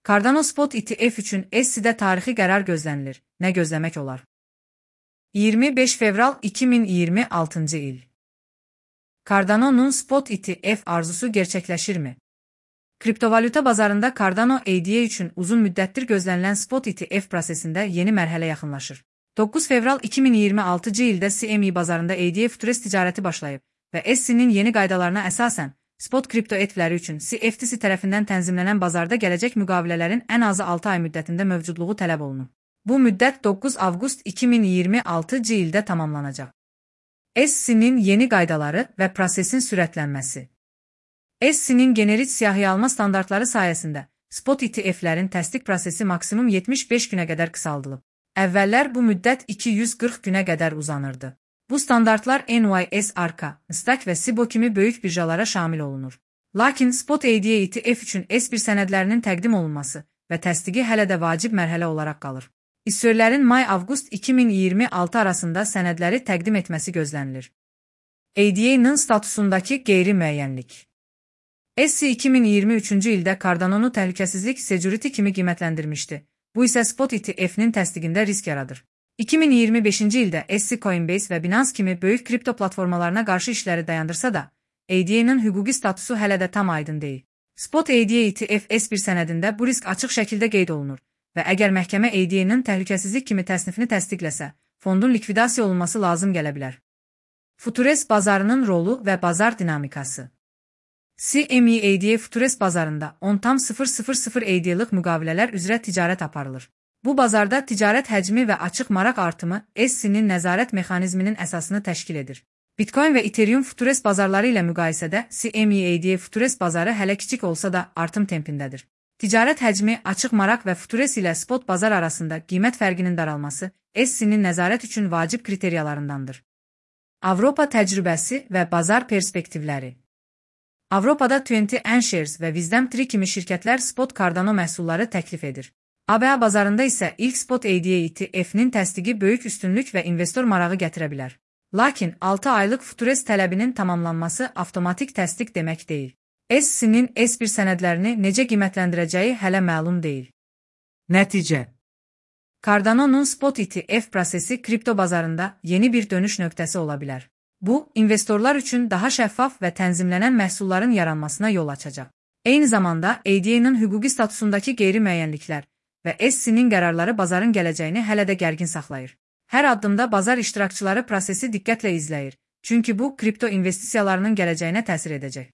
Cardano Spot ETF üçün SEC-də tarixi qərar gözlənilir. Nə gözləmək olar? 25 fevral 2026-cı il. Cardano'nun Spot ETF arzusu gerçəkləşirmi? Kriptovalyuta bazarında Cardano ADA üçün uzun müddətdir gözlənilən Spot ETF prosesində yeni mərhələ yaxınlaşır. 9 fevral 2026-cı ildə CME bazarında ADA Futures ticarəti başlayıb və SEC-nin yeni qaydalarına əsasən Spot kripto ETF-ləri üçün CFTC tərəfindən tənzimlənən bazarda gələcək müqavilələrin ən azı 6 ay müddətində mövcudluğu tələb olunub. Bu müddət 9 avqust 2026-cı ildə tamamlanacaq. SEC-nin yeni qaydaları və prosesin sürətlənməsi. SEC-nin generik siyahıyalma standartları sayəsində Spot ETF-lərin təsdiq prosesi maksimum 75 günə qədər qısaldılıb. Əvvəllər bu müddət 240 günə qədər uzanırdı. Bu standartlar NYS Arca, Nasdaq və Cboe kimi böyük birjalara şamil olunur. Lakin Spot ADA ETF üçün S1 sənədlərinin təqdim olunması və təsdiqi hələ də vacib mərhələ olaraq qalır. İsyorlərin may-avqust 2026 arasında sənədləri təqdim etməsi gözlənilir. ADA-nın statusundakı qeyri-müəyyənlik. SEC 2023-cü ildə Cardano'nu təhlükəsizlik security kimi qiymətləndirmişdi. Bu isə Spot ETF-nin təsdiqində risk yaradır. 2025-ci ildə SEC Coinbase və Binance kimi böyük kripto platformalarına qarşı işləri dayandırsa da, ADA-nın hüquqi statusu hələ də tam aydın deyil. Spot ADA ETF S1 sənədində bu risk açıq şəkildə qeyd olunur və əgər məhkəmə ADA-nın təhlükəsizlik kimi təsnifini təsdiqləsə, fondun likvidasiya olunması lazım gələ bilər. Futures bazarının rolu və bazar dinamikası. CME ADA Futures bazarında 10,000 ADA-lıq müqavilələr üzrə ticarət aparılır. Bu bazarda ticarət həcmi və açıq maraq artımı SEC-nin nəzarət mexanizminin əsasını təşkil edir. Bitcoin və Ethereum Futures bazarları ilə müqayisədə CME ADA Futures bazarı hələ kiçik olsa da artım tempindədir. Ticarət həcmi, açıq maraq və Futures ilə spot bazar arasında qiymət fərqinin daralması SEC-nin nəzarət üçün vacib kriteriyalarındandır. Avropa təcrübəsi və bazar perspektivləri. Avropada 20iShares və WisdomTree kimi şirkətlər Spot Cardano məhsulları təklif edir. ABA bazarında isə ilk Spot ADA ETF-nin təsdiqi böyük üstünlük və investor marağı gətirə bilər. Lakin 6 aylıq Futures tələbinin tamamlanması avtomatik təsdiq demək deyil. SEC-nin S1 sənədlərini necə qiymətləndirəcəyi hələ məlum deyil. Nəticə. Cardano'nun Spot ETF prosesi kripto bazarında yeni bir dönüş nöqtəsi ola bilər. Bu, investorlar üçün daha şəffaf və tənzimlənən məhsulların yaranmasına yol açacaq. Eyni zamanda ADA-nın hüquqi statusundakı qeyri-müəyyənliklər və SEC-nin qərarları bazarın gələcəyini hələ də gərgin saxlayır. Hər addımda bazar iştirakçıları prosesi diqqətlə izləyir, çünki bu kripto investisiyalarının gələcəyinə təsir edəcək.